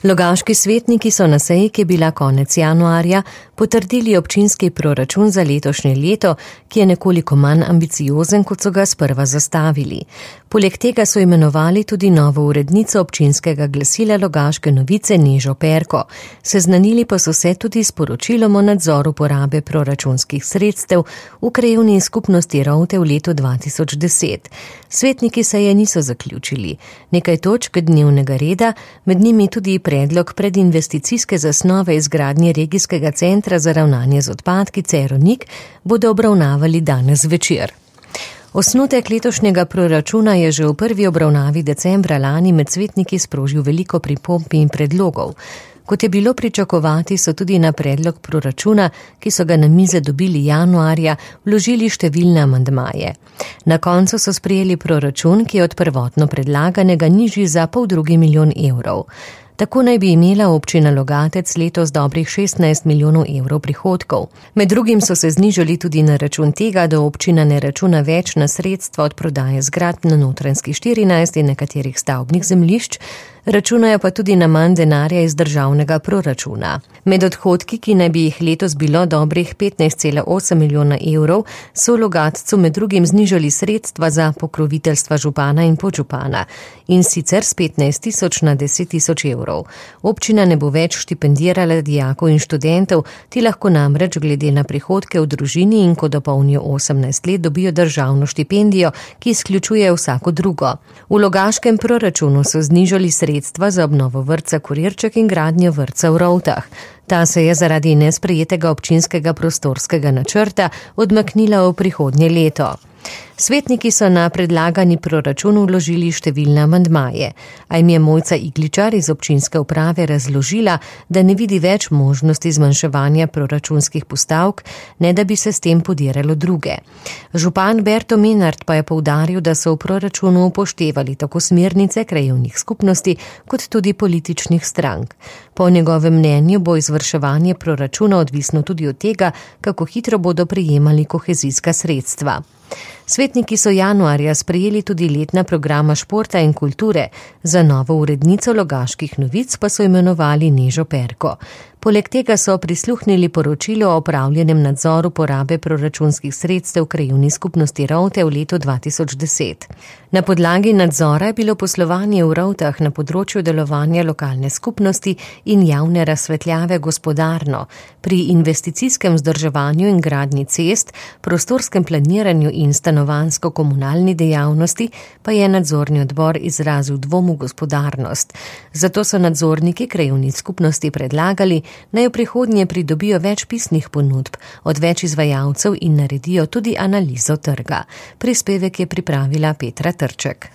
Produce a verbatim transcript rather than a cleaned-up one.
Logaški svetniki so na seji, ki je bila konec januarja, potrdili občinski proračun za letošnje leto, ki je nekoliko manj ambiciozen, kot so ga sprva zastavili. Poleg tega so imenovali tudi novo urednico občinskega glasila Logaške novice Nežo Perko. Seznanili pa so se tudi s poročilom o nadzoru porabe proračunskih sredstev v krajevni skupnosti Rovte v letu dva tisoč deset. Svetniki seje niso zaključili. Nekaj točk dnevnega reda, med njimi tudi predlog predinvesticijske zasnove izgradnje regijskega centra za ravnanje z odpadki Cerovnik, bodo obravnavali danes večer. Osnutek letošnjega proračuna je že v prvi obravnavi decembra lani med svetniki sprožil veliko pripomb in predlogov. Kot je bilo pričakovati, so tudi na predlog proračuna, ki so ga na mize dobili januarja, vložili številne amandmaje. Na koncu so sprejeli proračun, ki je od prvotno predlaganega nižji za poldrugi milijon evrov. Tako naj bi imela občina Logatec letos dobrih šestnajst milijonov evrov prihodkov. Med drugim so se znižali tudi na račun tega, da občina ne računa več na sredstva od prodaje zgradb na Notranjski štirinajst in nekaterih stavbnih zemljišč, računajo pa tudi na manj denarja iz državnega proračuna. Med odhodki, ki naj bi jih letos bilo dobrih petnajst cela osem milijona evrov, so v Logatcu med drugim znižali sredstva za pokroviteljstva župana in podžupana, in sicer s petnajst tisoč na deset tisoč evrov. Občina ne bo več štipendirala dijakov in študentov, ti lahko namreč glede na prihodke v družini in ko dopolnijo osemnajst let dobijo državno štipendijo, ki izključuje vsako drugo. V logaškem proračunu so znižali sredstva za obnovo vrtca Kurirček in gradnjo vrtca v Rovtah. Ta se je zaradi nesprejetega občinskega prostorskega načrta odmaknila v prihodnje leto. Svetniki so na predlagani proračun vložili številne amandmaje, a jim je Mojca Igličar iz občinske uprave razložila, da ne vidi več možnosti zmanjševanja proračunskih postavk, ne da bi se s tem podiralo druge. Župan Berto Menard pa je poudaril, da so v proračunu upoštevali tako smernice krajevnih skupnosti, kot tudi političnih strank. Po njegovem mnenju bo izvrševanje proračuna odvisno tudi od tega, kako hitro bodo prejemali kohezijska sredstva. Svetniki so januarja sprejeli tudi letna programa športa in kulture, za novo urednico Logaških novic pa so imenovali Nežo Perko. Poleg tega so prisluhnili poročilo o opravljenem nadzoru porabe proračunskih sredstev v krajevni skupnosti Rovte v letu dva tisoč deset. Na podlagi nadzora je bilo poslovanje v Rovtah na področju delovanja lokalne skupnosti in javne razsvetljave gospodarno. Pri investicijskem vzdrževanju in gradnji cest, prostorskem planiranju in stanovanjsko-komunalni dejavnosti pa je nadzorni odbor izrazil dvom v gospodarnost. Zato so nadzorniki krajevnih skupnosti predlagali, naj v prihodnje pridobijo več pisnih ponudb od več izvajalcev in naredijo tudi analizo trga. Prispevek je pripravila Petra Trček.